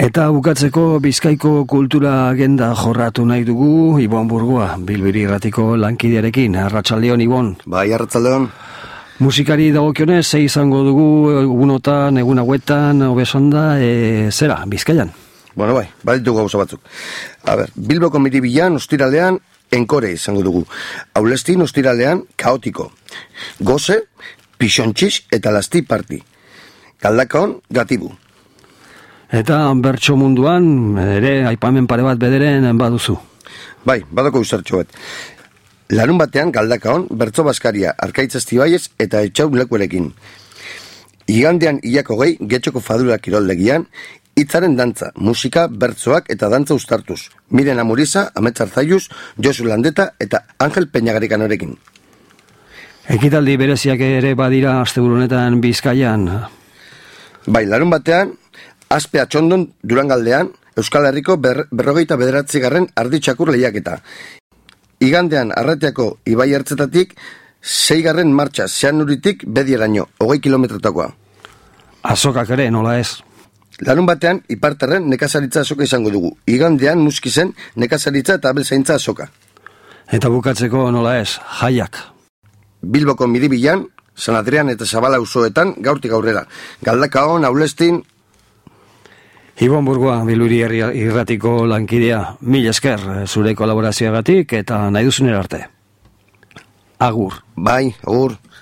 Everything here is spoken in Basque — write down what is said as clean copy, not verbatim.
Eta bukatzeko Bizkaiko kultura agenda jorratu nahi dugu Ibon Burgoa, Bilbiri Irratiko lankidearekin. Arratsaldeon, Ibon. Bai, arratsaldeon. Musikari dagokionez, ze izango dugu egunotan, egun hauetan, obesonda, zera, Bizkaian? Bueno, bai, baditu gauza batzuk. Bilboko Miribilan, ostiralean, enkore izango dugu. Aulestin, ostiralean, kaotiko. Goze, pixontxix eta lasti parti. Galdakaon, gatibu. Eta bertso munduan, ere, aipamen pare bat bederen baduzu. Bai, badako uzertxo bat. Larun batean, Galdakaon, bertso baskaria, Arkaitz Estibaiez eta Etxau lekuerekin. Igandean hilako gehi, Getxoko Fadura kiroldegian, hitzaren dantza, musika, bertsoak eta dantza ustartuz. Miren Amuriza, Amets Arzaiuz, Josu Landeta eta Angel Peñagarikanorekin. Ekitaldi bereziak ere badira asteburunetan Bizkaian. Bai, larun batean, Azpe Atxondon Durangaldean, Euskal Herriko 59. arditxakur lehiaketa. Igandean Arratiako Ibai Ertzetatik 6. martxa Zeanuritik Bedieraino, 20 kilometrotakoa. Azokak ere, nola ez? Larun batean, Iparterren nekazaritza azoka izango dugu. Igandean Muskizen nekazaritza eta abeltzaintza azoka. Eta bukatzeko nola ez, jaiak. Bilboko Miribilan, San Adrian eta Zabala auzoetan gaurtik aurrera. Galdakaon, Aulestin. Ibon Burgoa, Bilbiri Irratiko lankidea, mil esker zure kolaborazioagatik eta nahi duzunera arte. Agur. Bai, agur.